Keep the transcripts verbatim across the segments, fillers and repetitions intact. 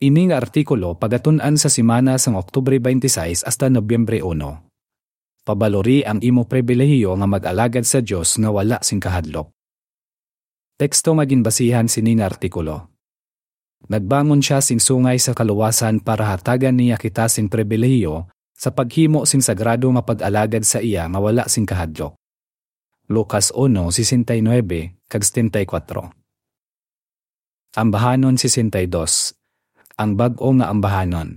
Ini nga artikulo pagatun-an sa semana sang Oktubre twenty-six hasta Nobyembre uno. Pabalori ang imo pribilehiyo nga mag-alagad sa Dios nga wala sing kahadlok. Teksto nga ginbasihan sini nga artikulo. Nagbangon sia sing sungay sa kaluwasan para hatagan niya kita sing pribilehiyo sa paghimo sing sagrado nga pag-alagad sa iya nga wala sing kahadlok. Lucas uno sesenta y nueve kag setenta y kuwatro. Ambahanon sesenta y dos. Ang bag-o nga ambahanon.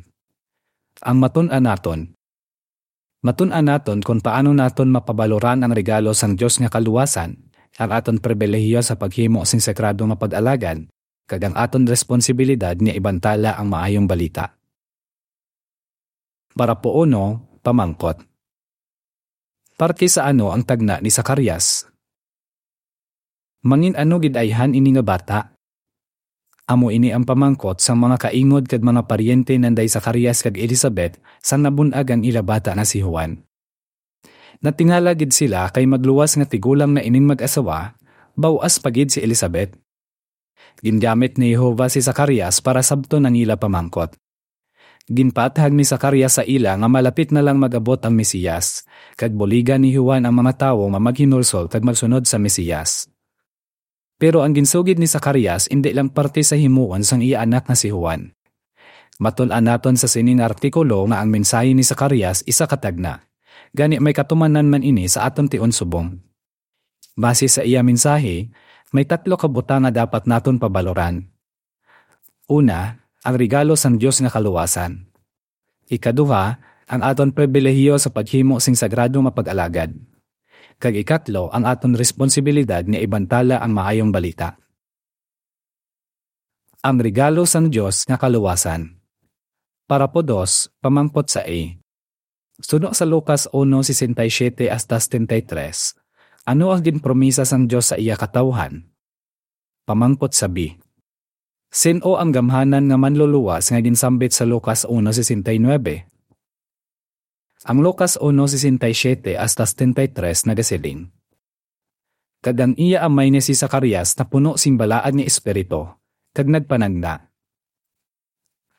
Ang matun-an naton. Matun-an naton kon paano naton mapabaloran ang regalo sang Dios nga kaluwasan, ang aton pribilehiyo sa paghimo sing sagrado nga pag-alagad, kag ang aton responsibilidad nga ibantala ang maayong balita. Parapo uno, pamangkot. Parte sa ano ang tagna ni Zacarias? Mangin-ano gid ayhan ini nga bata? Amo ini ang pamangkot sang mga kaingod kag mga paryente nanday Zacarias kag Elizabeth sang nabun-ag ang ila bata nga si Juan. Natingala gid sila kay magluwas nga tigulang na ining mag-asawa, baw-as pa gid si Elizabeth. Gingamit ni Jehovah si Zacarias para sabton ang ila pamangkot. Ginpaathag ni Zacarias sa ila nga malapit na lang mag-abot ang Mesiyas, kag buligan ni Juan ang mga tawo nga maghinulsol kag magsunod sa Mesiyas. Pero ang ginsugid ni Zacarias indi lang parte sa himuon sang iya anak nga si Juan. Matun-an naton sa sini nga artikulo nga ang mensahe ni Zacarias isa ka tagna. Gani may katumanan man ini sa aton tion subong. Base sa iya mensahe, may tatlo ka butang nga dapat naton pabaloran. Una, ang regalo sang Dios nga kaluwasan. Ikaduha, ang aton pribilehiyo sa paghimo sing sagrado nga pag-alagad. Kag ikatlo, ang aton responsibilidad nga ibantala ang maayong balita. Ang regalo sang Dios nga kaluwasan. Parapo dos, pamangkot sa A. Suno sa Lucas uno sesenta y siete hasta setenta y tres, ano ang ginpromisa sang Dios sa iya katawuhan? Pamangkot sa B. Sin-o ang gamhanan nga manluluwas nga ginsambit sa Lucas uno sesenta y nueve? Ang Lucas uno sesenta y siete hasta setenta y tres nagasiling, "Kag ang iya amay nga si Zacarias napuno sing balaan nga espiritu, kag nagpanagna,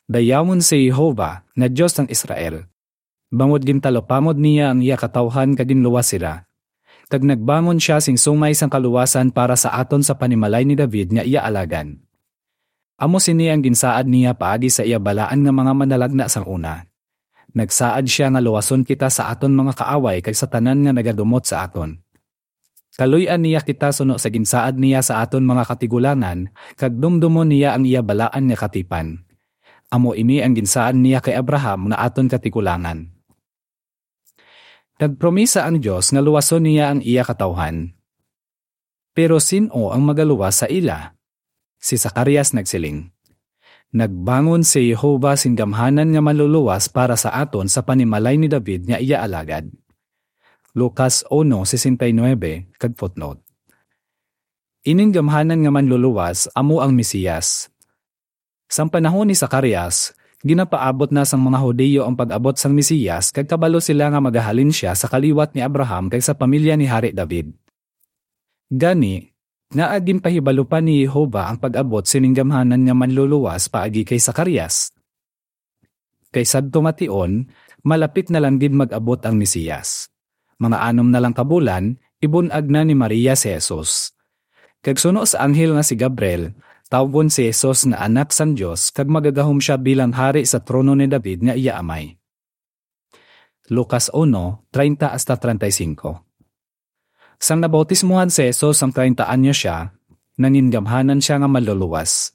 'Dayawon si Jehovah nga Dios sang Israel, bangod gintalupangod niya ang iya katawuhan kag ginluwas sila.' Kag nagbangon sia sing sungay sang kaluwasan para sa aton sa panimalay ni David nga iya alagad. Amo sini ang ginsaad niya paagi sa iya balaan nga mga manalagna sang una. Nagsaad sia nga luwason kita sa aton mga kaaway kag sa tanan nga nagadumot sa aton. Kaluy-an niya kita suno sa ginsaad niya sa aton mga katigulangan, kag dumdumon niya ang iya balaan nga katipan. Amo ini ang ginsaad niya kay Abraham nga aton katigulangan." Nagpromisa ang Dios nga luwason niya ang iya katawuhan. Pero sin-o ang magaluwas sa ila? Si Zacarias nagsiling, "Nagbangon si Jehovah sing gamhanan nga manluluwas para sa aton sa panimalay ni David nga iya alagad." Lucas uno sesenta y nueve kag footnote. Ining gamhanan nga manluluwas amo ang Mesiyas. Sang panahon ni Zacarias, ginapaabot na sang mga Hudiyo ang pag-abot sang Mesiyas kag kabalo sila nga magahalin sia sa kaliwat ni Abraham kag sa pamilya ni Hari David. Gani, ngaa ginpahibalo pa ni Jehovah ang pag-abot sining gamhanan nga manluluwas paagi kay Zacarias? Kay sadto nga tion, malapit na lang gid mag-abot ang Mesiyas. Mga anom na lang ka bulan, ibun-ag na ni Maria si Jesus. Kag suno sa anghel nga si Gabriel, tawgon si Jesus nga Anak sang Dios kag magagahom sia bilang hari sa trono ni David nga iya amay. Lucas uno, treinta hasta treinta y cinco. Sang nabautismuhan si Jesus sang treinta anyos sia, nangingamhanan sia nga manluluwas.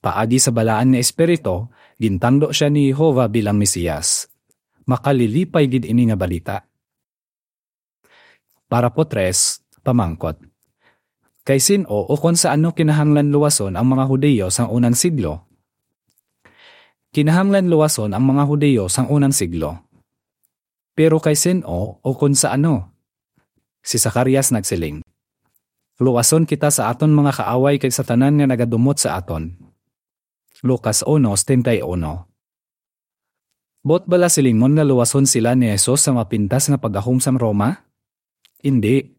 Paagi sa Balaan nga Espiritu, gintangdo sia ni Jehovah bilang Mesiyas. Makalilipay gid ini nga balita. Parapo tres, pamangkot. Kay sin-o ukon sa ano kinahanglan luwason ang mga Hudiyo sang unang siglo? Kinahanglan luwason ang mga Hudiyo sang unang siglo. Pero kay sin-o ukon sa ano? Si Zacarias nagsiling, "Luwason kita sa aton mga kaaway kag sa tanan nga nagadumot sa aton." Lucas uno setenta y uno. Buot bala silingon nga luwason sila ni Jesus sa mapintas nga paggahom sang Roma? Indi.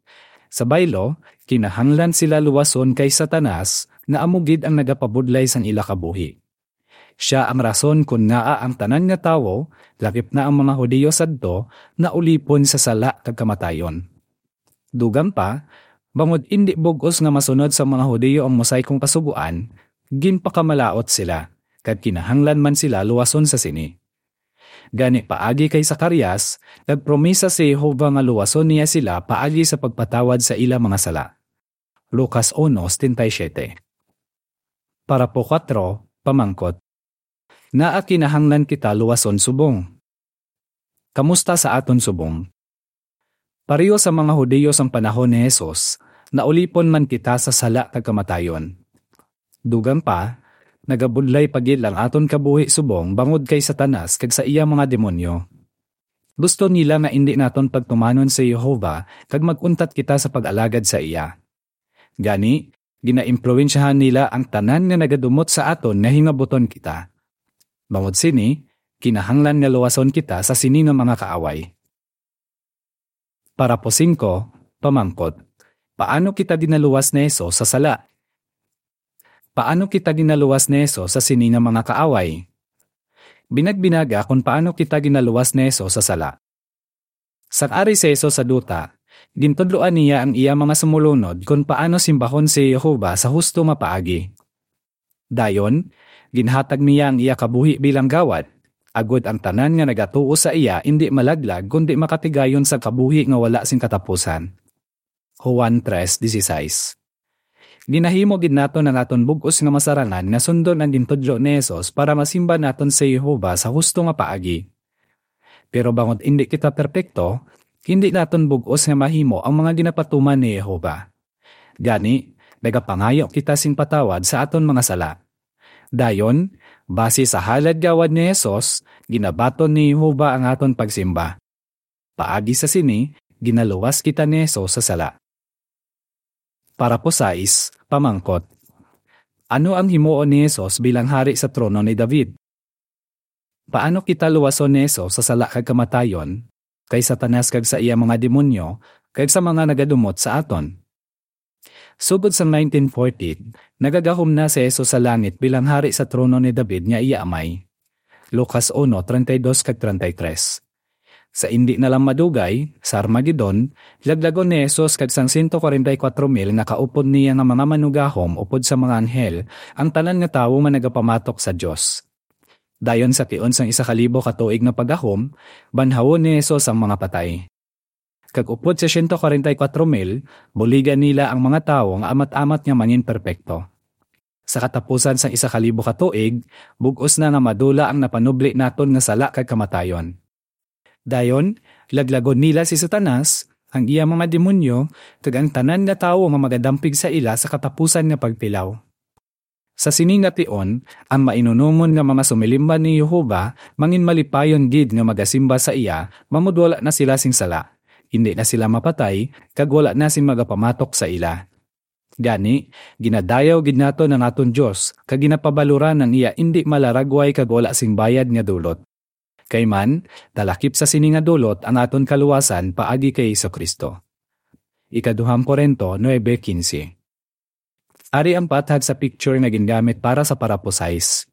Sa baylo, kinahanglan sila luwason kay Satanas, nga amo gid ang nagapabudlay sang ila kabuhi. Sia ang rason kon ngaa ang tanan nga tawo, lakip na ang mga Hudiyo sadto, naulipon sa sala kag kamatayon. Dugang pa, bangod indi bug-os nga masunod sa mga Hudiyo ang mosaikong kasugoan, ginpakamalaut sila, kag kinahanglan man sila luwason sa sini. Gani, paagi kay Zacarias, nagpromisa si Jehovah nga luwason niya sila paagi sa pagpatawad sa ila mga sala. Lucas uno setenta y siete. Parapo kuwatro, pamangkot. Ngaa kinahanglan kita luwason subong? Kamusta sa aton subong? Pareho sa mga Hudiyo sang panahon ni Jesus, naulipon man kita sa sala kag kamatayon. Dugang pa, nagabudlay pa gid ang aton kabuhi subong bangod kay Satanas kag sa iya mga demonyo. Gusto nila nga indi naton pagtumanon si Jehovah kag mag-untat kita sa pag-alagad sa iya. Gani, ginaimpluwensyahan nila ang tanan nga nagadumot sa aton nga hingabuton kita. Bangod sini, kinahanglan nga luwason kita sa sini nga mga kaaway. Parapo singko, pamangkot. Paano kita ginaluwas ni Jesus sa sala? Paano kita ginaluwas ni Jesus sa sini nga mga kaaway? Binagbinaga kon paano kita ginaluwas ni Jesus sa sala. Sang ari si Jesus sa duta, gintudloan niya ang iya mga sumulunod kon paano simbahon si Jehovah sa husto nga paagi. Dayon, ginhatag niya ang iya kabuhi bilang gawad, agod ang tanan nga nagatuo sa iya indi malaglag kundi makatigayon sa kabuhi nga wala sing katapusan. Juan tres dieciséis. Ginahimo gid naton ang aton bug-os nga masarangan nga sundon ang gintudlo ni Jesus para masimba naton si Jehovah sa husto nga paagi. Pero bangod indi kita perpekto, hindi naton bug-os nga mahimo ang mga ginapatuman ni Jehovah. Gani, nagapangayo kita sing patawad sa aton mga sala. Dayon, basi sa halad gawad ni Jesus, ginabaton ni Jehovah ang aton pagsimba. Paagi sa sini, ginaluwas kita ni Jesus sa sala. Parapo sais, pamangkot. Ano ang himuon ni Jesus bilang hari sa trono ni David? Paano kita luwason ni Jesus sa sala kag kamatayon, kay Satanas kag sa iya mga demonyo, kag sa mga nagadumot sa aton? Sugod sang nineteen forty, nagagahom na si Jesus sa langit bilang hari sa trono ni David nga iya Amay. Lucas uno treinta y dos kag treinta y tres. Sa indi na lang madugay, sa Armagedon, laglagon ni Jesus kag sang sento kwarenta y kuwatro mil nga kaupod niya nga mga manugahom upod sa mga anghel ang tanan nga tawo nga nagapamatok sa Dios. Dayon sa tion sang isa ka libo ka tuig nga paggahom, banhawon ni Jesus ang mga patay. Kag upod sa sento kwarenta y kuwatro mil, buligan nila ang mga tawo nga amat-amat nga mangin perpekto. Sa katapusan sang isa ka libo ka tuig, bug-os na nga madula ang napanubli naton nga sala kag kamatayon. Dayon, laglagon nila si Satanas, ang iya mga demonyo, kag ang tanan nga tawo nga magadampig sa ila sa katapusan nga pagpilaw. Sa sini nga tion, ang mainunumon nga mga sumilimban ni Jehovah mangin malipayon gid nga magasimba sa iya, bangod wala na sila sing sala, indi na sila mapatay, kag wala na sing magapamatok sa ila. Gani, ginadayaw gid naton ang aton Dios, kag ginapabaloran ang iya indi malaragway kag wala sing bayad nga dulot. Kay man, talakip sa sini nga dulot ang aton kaluwasan paagi kay Jesu-Cristo. Ikaduhang Corinto nuebe quince. Ari ang pathag sa picture nga gingamit para sa parapo sais.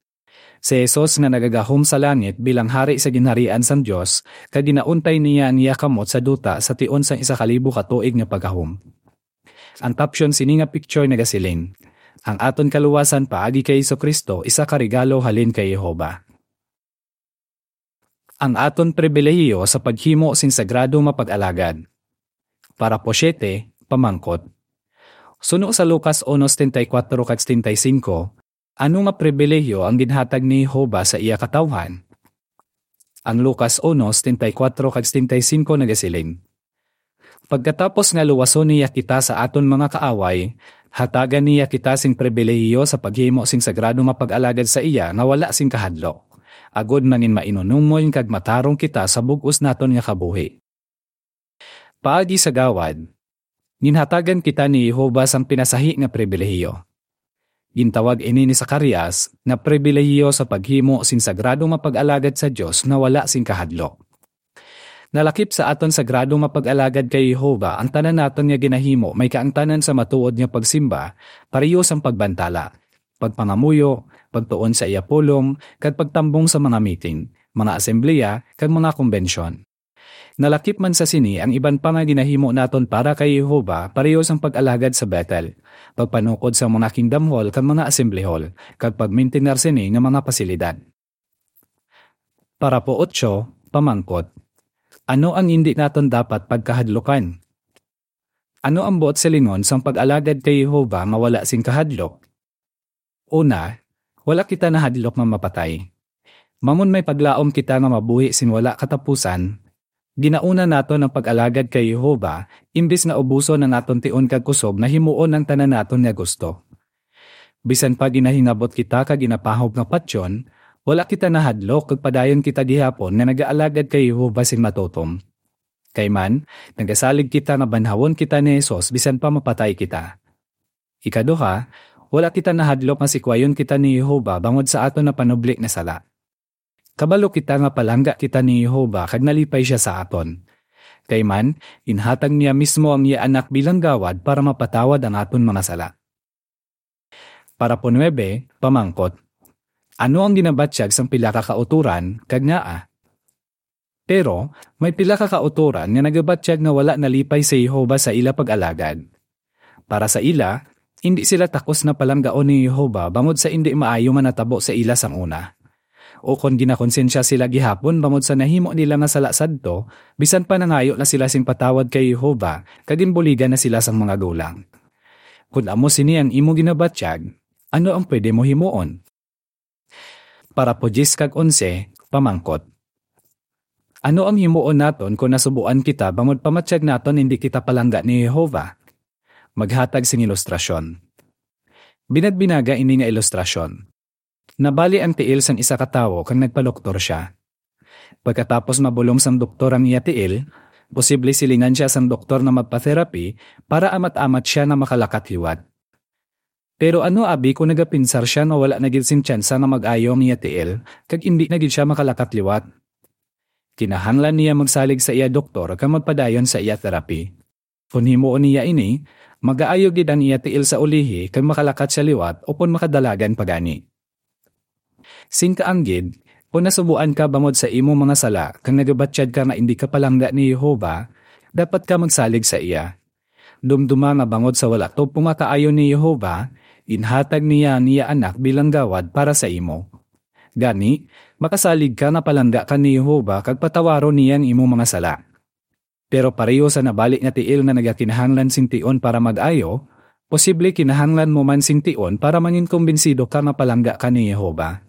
Si Jesus nga nagagahom sa langit bilang Hari sa Ginharian sang Dios, kag ginauntay niya ang iya kamot sa duta sa tion sang isa ka libo ka tuig nga paggahom. Ang caption sini nga picture nagasiling, "Ang aton kaluwasan paagi kay Jesu-Cristo isa ka regalo halin kay Jehovah." Ang aton pribilehiyo sa paghimo sing sagrado nga pag-alagad. Parapo siete, pamangkot. Suno sa Lucas uno setenta y kuatro kag setenta y cinco, ano nga pribilehiyo ang ginhatag ni Jehovah sa iya katawhan? Ang Lucas uno setenta y kuatro kag setenta y cinco nagasiling, "Pagkatapos nga luwason niya kita sa aton mga kaaway, hatagan niya kita sing pribilehiyo sa paghimo sing sagrado nga pag-alagad sa iya nga wala sing kahadlok, agod mangin mainunumon kag matarong kita sa bug-os naton nga kabuhi." Paagi sa gawad, ginhatagan kita ni Jehovah sang pinasahi nga pribilehiyo. Gintawag ini ni Zacarias nga pribilehiyo sa paghimo sing sagrado nga pag-alagad sa Dios nga wala sing kahadlok. Nalakip sa aton sagrado nga pag-alagad kay Jehovah ang tanan naton nga ginahimo may kaangtanan sa matuod nga pagsimba, pareho sang pagbantala, pagpangamuyo, pagtuon sa iya pulong, kag pagtambong sa mga meeting, mga asembleya, kag mga kumbensyon. Nalakip man sa sini ang iban pa nga ginahimo naton para kay Jehovah, pareho sang pag-alagad sa Bethel, pagpanukod sa mga Kingdom Hall kag mga Assembly Hall, kag pagmintinar sini nga mga pasilidad. Parapo otso, pamangkot. Ano ang indi naton dapat pagkahadlukan? Ano ang buot silingon sang pag-alagad kay Jehovah nga wala sing kahadlok? Una, wala kita nahadlok nga mapatay. Mamon may paglaom kita nga mabuhi sing wala katapusan, ginauna naton ang pag-alagad kay Jehovah, imbis nga ubuson ang aton tion kag kusog nga himuon ang tanan naton nga gusto. Bisan pa ginahingabot kita kag ginapahog nga patyon, wala kita nahadlok kag padayon kita gihapon nga nagaalagad kay Jehovah sing matutom. Kay man, nagasalig kita nga banhawon kita ni Jesus bisan pa mapatay kita. Ikaduha, wala kita nahadlok nga sikwayon kita ni Jehovah bangod sa aton napanubli nga sala. Kabalo kita nga palangga kita ni Jehovah kag nalipay sia sa aton. Kay man, ginhatag niya mismo ang iya Anak bilang gawad para mapatawad ang aton mga sala. Parapo nuebe, pamangkot. Ano ang ginabatyag sang pila ka kautoran, kag ngaa? Pero may pila ka kautoran nga nagabatyag nga wala nalipay si Jehovah sa ila pag-alagad. Para sa ila, indi sila takos nga palanggaon ni Jehovah bangod sa indi maayo nga natabo sa ila sang una. O kon ginakonsensya sila gihapon bangod sa nahimo nila nga sala sadto, bisan pa nangayo na sila sing patawad kay Jehovah, kag ginbuligan na sila sang mga gulang. Kon amo sini ang imo ginabatyag, ano ang pwede mo himuon? Parapo diyes kag onse, pamangkot. Ano ang himuon naton kon nasubuan kita bangod pamatyag naton hindi kita palangga ni Jehovah? Maghatag sing ilustrasyon. Binagbinaga ini nga ilustrasyon. Nabali ang tiil sang isa ka tawo kag nagpadoktor sia. Pagkatapos mabulong sang doktor ang iya tiil, posible silingan sia sang doktor nga magpa-therapy para amat-amat sia nga makalakat liwat. Pero ano abi kon nagapinsar sia nga wala na gid sing tsansa nga mag-ayo ang iya tiil, kag indi na gid sia makalakat liwat? Kinahanglan niya magsalig sa iya doktor kag magpadayon sa iya therapy. Kon himuon niya ini, magaayo gid ang iya tiil sa ulihi kag makalakat sia liwat upod makadalagan pa gani. Sing kaanggid, kon nasubuan ka bangod sa imo mga sala kag nagabatyag ka nga indi ka palangga ni Jehovah, dapat ka magsalig sa iya. Dumduma nga bangod sa wala tubong nga kaayo ni Jehovah, ginhatag niya ang iya Anak bilang gawad para sa imo. Gani, makasalig ka nga palangga ka ni Jehovah kag patawaron niya ang imo mga sala. Pero pareho sa nabali nga tiil nga nagakinahanglan sing tion para mag-ayo, posible kinahanglan mo man sing tion para manginkumbinsido ka nga palangga ka ni Jehovah.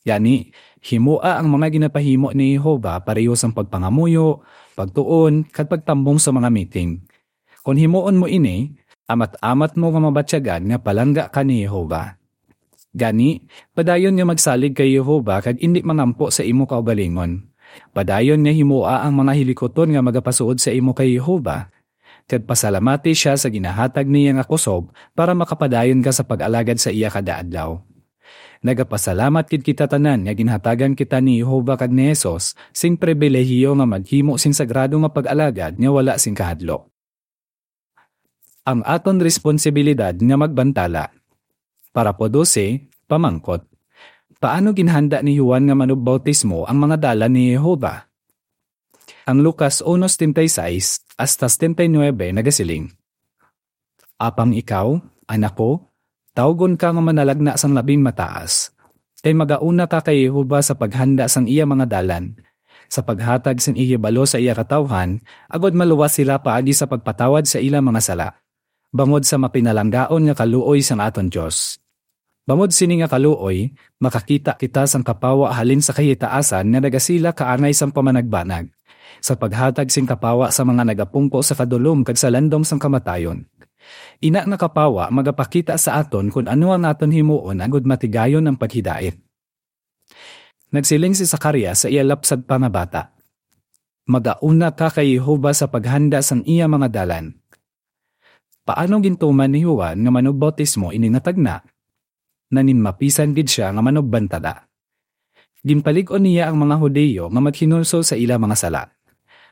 Gani, himoa ang mga ginapahimo ni Jehovah pareho sang pagpangamuyo, pagtuon, kag pagtambong sa mga meeting. Kon himuon mo ini, amat-amat mo nga mabatyagan nga palangga ka ni Jehovah. Gani, padayon nga magsalig kay Jehovah kag indi mangampo sa imo kaugalingon. Padayon nga himoa ang mga hilikuton nga magapasuod sa imo kay Jehovah, kag pasalamati sia sa ginahatag niya nga kusog para makapadayon ka sa pag-alagad sa iya kada adlaw. Nagapasalamat gid kita tanan nga ginhatagan kita ni Jehovah kag ni Jesus sing pribilehiyo nga maghimo sing sagrado nga pag-alagad nga wala sing kahadlok. Ang aton responsibilidad nga magbantala. Parapo dose, pamangkot. Paano ginhanda ni Juan nga manugbatismo ang mga dalan ni Jehovah? Ang Lucas uno setenta y seis hasta setenta y nueve nagasiling, "Apang ikaw, anak ko, tawgon ka nga manalagna sang Labing Mataas, kay magauna ka kay Jehovah sa paghanda sang iya mga dalan, sa paghatag sing ihibalo sa iya katawuhan, agod maluwas sila paagi sa pagpatawad sa ila mga sala, bangod sa mapinalanggaon nga kaluoy sang aton Dios." Bangod sini nga kaluoy, makakita kita sang kapawa halin sa kahitaasan nga nagasila kaangay sang pamanagbanag, sa paghatag sing kapawa sa mga nagapungko sa kadulom kag sa landong sang kamatayon. Ina nga kapawa magapakita sa aton kon ano ang aton himuon agod matigayon ang paghidait. Nagsiling si Zacarias sa iya lapsag pa nga bata, "Magauna ka kay Jehovah sa paghanda sang iya mga dalan." Paano gintuman ni Juan nga manugbatismo ini nga tagna? Naninmapisan gid sia nga manugbantala. Ginpalig-on niya ang mga Hudiyo nga maghinulsol sa ila mga sala,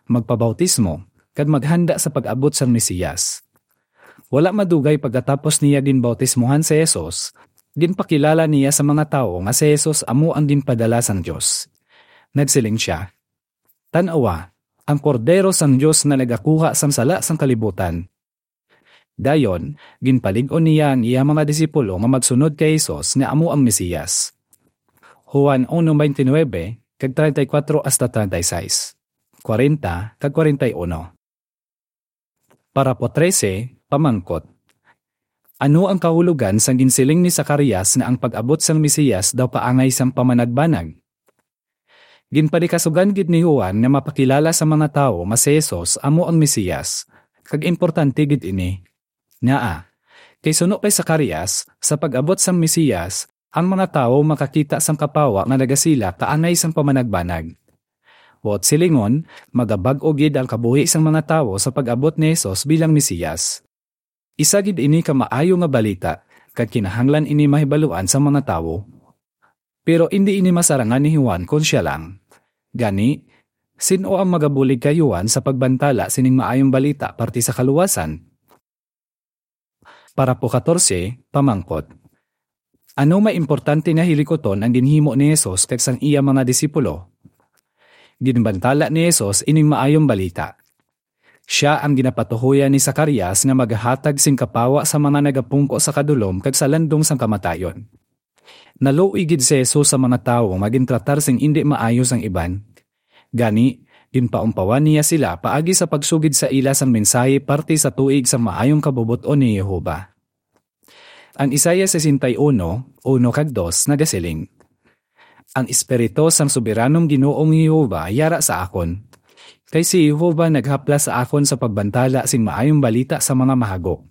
magpabautismo, kag maghanda sa pag-abot sang Mesiyas. Wala madugay pagkatapos niya ginbautismohan si Jesus, Ginpakilala niya sa mga tawo nga si Jesus amo ang ginpadala sang Dios. Nagsiling sia, "Tan-awa, ang Kordero sang Dios nga nagakuha sang sala sang kalibutan." Dayon, ginpalig-on niya ang iya mga disipulo nga magsunod kay Jesus nga amo ang Mesiyas. Juan uno veintinueve, kag treinta y cuatro hasta treinta y seis, cuarenta, kag cuarenta y uno. Parapo trese, pamangkot. Ano ang kahulogan sang ginsiling ni Zacarias nga ang pag-abot sang Mesiyas daw kaangay sang pamanagbanag? Ginpanikasugan gid ni Juan nga mapakilala sa mga tawo nga si Jesus amo ang Mesiyas, kag importante gid ini. Ngaa, kay suno kay Zacarias, sa pag-abot sang Mesiyas, ang mga tawo makakita sang kapawa nga nagasila kaangay sang pamanagbanag. Buot silingon, magabag-o gid ang kabuhi sang mga tawo sa pag-abot ni Jesus bilang Mesiyas. Isa gid ini ka maayo nga balita, kag kinahanglan ini mahibaluan sang mga tawo. Pero indi ini masarangan ni Juan kon sia lang. Gani, sin-o ang magabulig kay Juan sa pagbantala sining maayong balita parte sa kaluwasan? Parapo katorse, pamangkot. Ano may importante nga hilikuton ang ginhimo ni Jesus kag sang iya mga disipulo? Ginbantala ni Jesus ining maayong balita. Sia ang ginapatuhoyan ni Zacarias nga magahatag sing kapawa sa mga nagapungko sa kadulom kag sa landong sang kamatayon. Naluoy gid si Jesus sa mga tawo nga gintratar sing indi maayo sang iban. Gani, ginpaumpawan niya sila paagi sa pagsugid sa ila sang mensahe parte sa tuig sang maayong kabubot-on ni Jehovah. Ang Isaiah sesenta y uno, uno kag dos nagasiling, "Ang Espiritu sang Soberanong Ginoong Jehovah yara sa akon, kay si Jehovah naghaplas sa akon sa pagbantala sing maayong balita sa mga mahago.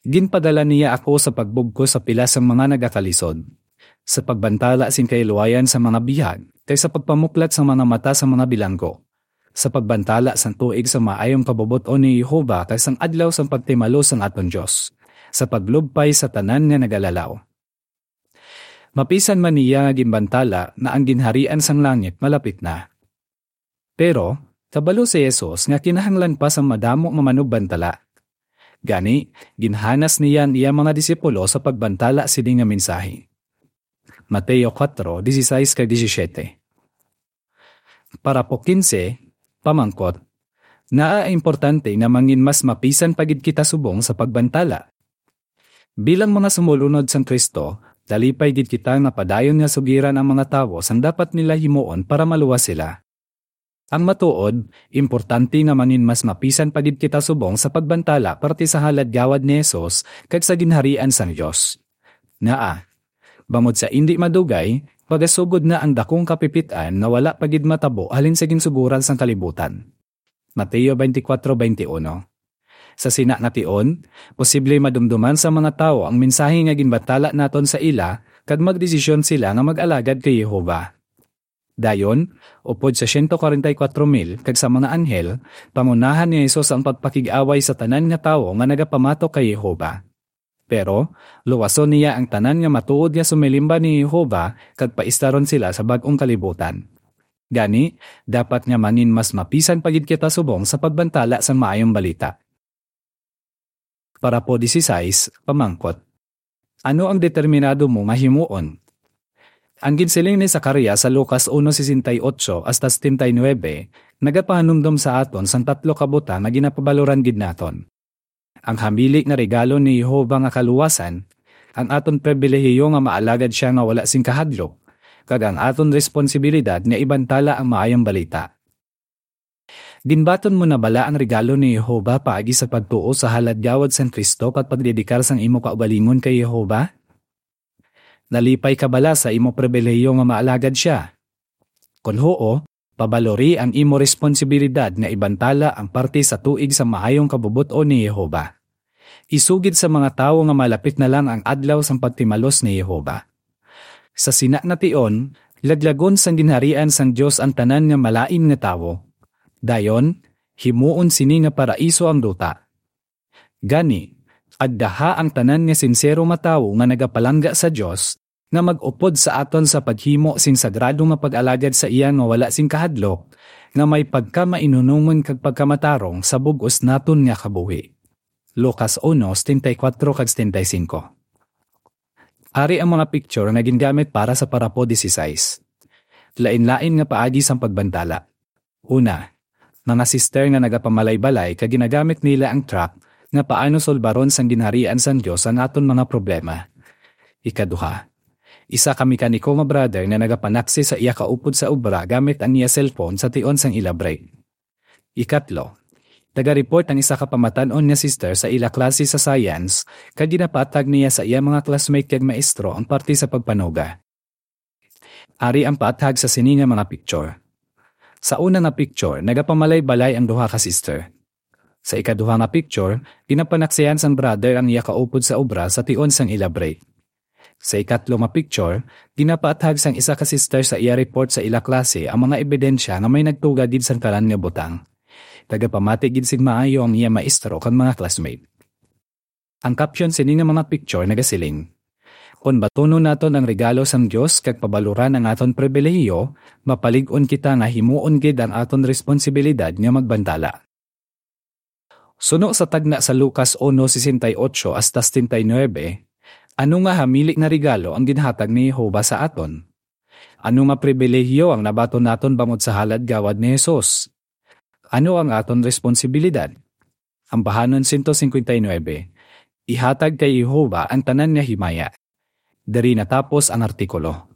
Ginpadala niya ako sa pagbugkos sa pila sang mga nagakalisod, sa pagbantala sing kahilwayan sa mga bihag, kay sa pagpamuklat sa mga mata sa mga bilanggo, sa pagbantala sang tuig sa maayong kabubot-on ni Jehovah, kag sang adlaw sang pagtimalos sang aton Dios, sa paglubpay sa tanan nga nagalalaw." Mapisan man niya nga ginbantala nga ang ginharian sang langit malapit na. Pero, kabalo si Jesus nga kinahanglan pa sang madamo nga manugbantala. Gani, ginhanas niya ang iya mga disipulo sa pagbantala sini nga mensahe. Mateo kuwatro, dieciséis kag disisyete. Parapo kinse, pamangkot. Ngaa importante nga mangin mas mapisan pa gid kita subong sa pagbantala? Bilang mga sumolunod sang Cristo, nalipay gid kita nga padayon nga sugiran ang mga tawo sang dapat nila himuon para maluwas sila. Ang matuod, importante nga mangin mas mapisan pa gid kita subong sa pagbantala parte sa halad gawad ni Jesus kag sa Ginharian sang Dios. Ngaa, bangod sa indi madugay, magasugod na ang dakong kapipit-an nga wala pa gid matabo halin sa ginsugoran sang kalibutan. Mateo twenty-four twenty-one. Sa sina nga tion, posible madumduman sa mga tawo ang mensahe nga ginbantala naton sa ila, kag magdesisyon sila nga mag-alagad kay Jehovah. Dayon, upod sa siyento kwarenta y kuwatro mil kag sa mga anghel, pangunahan ni Jesus ang pagpakig-away sa tanan nga tawo nga nagapamatok kay Jehovah. Pero, luwason niya ang tanan nga matuod nga sumilimba ni Jehovah kag paistaron sila sa bag-ong kalibutan. Gani, dapat nga mangin mas mapisan pa gid kita subong sa pagbantala sang Maayong Balita. Parapo dieciséis, pamangkot. Ano ang determinado mo nga himuon? Ang ginsiling ni Zacarias sa Lucas uno sesenta y ocho hasta setenta y nuebe nagapahanumdom sa aton sang tatlo ka butang nga ginapabaloran gid naton: ang hamili nga regalo ni Jehovah nga kaluwasan, ang aton pribilehiyo nga maalagad sia nga wala sing kahadlok, kag ang aton responsibilidad nga ibantala ang Maayong Balita. Ginbaton mo na bala ang regalo ni Jehovah paagi sa pagtuo sa halad gawad sang Cristo kag pagdedikar sang imo kaugalingon kay Jehovah? Nalipay ka bala sa imo pribilehiyo nga maalagad sia? Kon huo, pabalori ang imo responsibilidad nga ibantala ang parte sa tuig sa maayong kabubot-on ni Jehovah. Isugid sa mga tawo nga malapit na lang ang adlaw sang pagtimalos ni Jehovah. Sa sina nga tion, laglagon sang ginharian sang Dios ang tanan nga malain nga tawo. Dayon, himuon sini nga paraiso ang duta. Gani, agdaha ang tanan nga sinsero nga tawo nga nagapalangga sa Dios, nga mag-upod sa aton sa paghimo sing sagrado nga pag-alagad sa iya nga wala sing kahadlok, nga may pagkamainunungon kag pagkamatarong sa bug-os naton nga kabuhi. Lucas uno, setenta y cuatro kag setenta y cinco. Ari ang mga picture nga gingamit para sa parapo dieciséis. Lain-lain nga paagi sang pagbantala. Una, mga sister nga nagapamalay-balay kag ginagamit nila ang tract nga Paano Solbaron sang Ginharian sang Dios ang Aton Mga Problema. Ikaduha, isa ka mekaniko nga brother nga nagapanaksi sa iya kaupod sa obra gamit ang iya cellphone sa tion sang ila break. Ikatlo, taga-report ang isa ka pamatan-on nga sister sa ila klase sa science kag ginapatag niya sa iya mga classmate kag maestro ang parte sa pagpanuga. Ari ang paathag sa sini nga mga picture. Sa una nga picture, nagapamalay-balay ang duha ka sister. Sa ikaduha nga picture, ginapanaksihan sang brother ang iya kaupod sa obra sa tion sang ila break. Sa ikatlo nga picture, ginapaathag sang isa ka sister sa iya report sa ila klase ang mga ebidensya nga may nagtuga gid sang tanan nga butang. Tagapamati gid sing maayo ang iya maestro kag mga classmate. Ang caption sini nga mga picture nagasiling, "Kon batunon naton ang regalo sang Dios kag pabaluran ang aton pribilehiyo, mapalig-on kita nga himuon gid ang aton responsibilidad nga magbantala." Suno sa tagna sa Lucas uno sesenta y ocho hasta setenta y nuebe, ano nga hamili nga regalo ang ginhatag ni Jehovah sa aton? Ano nga pribilehiyo ang nabaton naton bangod sa halad gawad ni Jesus? Ano ang aton responsibilidad? Ambahanon sento singkwenta y nuebe, ihatag kay Jehovah ang tanan nga himaya. Diri natapos ang artikulo.